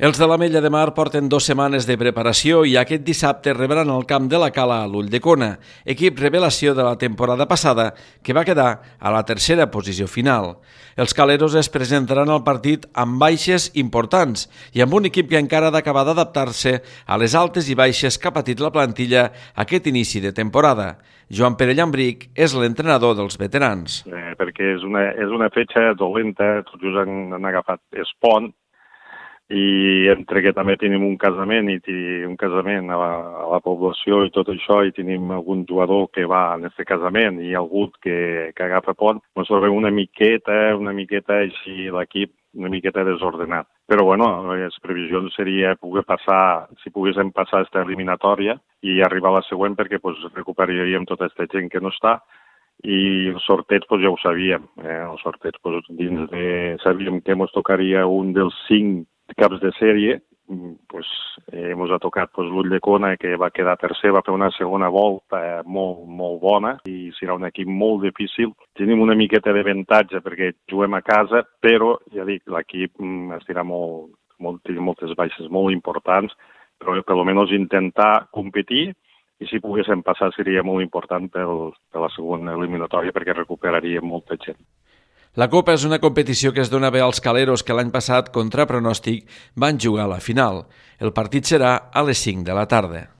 Els de l'Ametlla de Mar porten 2 setmanes de preparació i aquest dissabte rebran el camp de la Cala a l'Ulldecona, equip revelació de la temporada passada que va quedar a la tercera posició final. Els caleros es presentaran al partit amb baixes importants i amb un equip que encara ha d'acabar d'adaptar-se a les altes i baixes que ha patit la plantilla aquest inici de temporada. Joan Pere Llambric és l'entrenador dels veterans. Perquè és una fetge dolenta, tots just han agafat Espont, i entre que també tenim un casament a la població i tot això, i tenim algun jugador que va en aquest casament i algú que agafa pont, ens trobem una miqueta així l'equip, una miqueta desordenat. Però bueno, les previsions seria poder passar, si poguéssim passar aquesta eliminatòria i arribar a la següent, perquè recuperaríem tota aquesta gent que no està. I els sorteig ja ho sabíem, els sorteig sabíem que ens tocaria un dels 5 caps de sèrie, ens ha tocat l'Ulldecona, que va quedar tercer, va fer una segona volta molt bona i serà un equip molt difícil. Tenim una miqueta d'avantatge perquè juguem a casa, però ja dic, l'equip estirà té moltes baixes molt importants, però per almenys intentar competir, i si poguéssim passar seria molt important per la segona eliminatòria perquè recuperaríem molta gent. La Copa és una competició que es dona bé als caleros que l'any passat, contra pronòstic, van jugar a la final. El partit serà a les 5 de la tarda.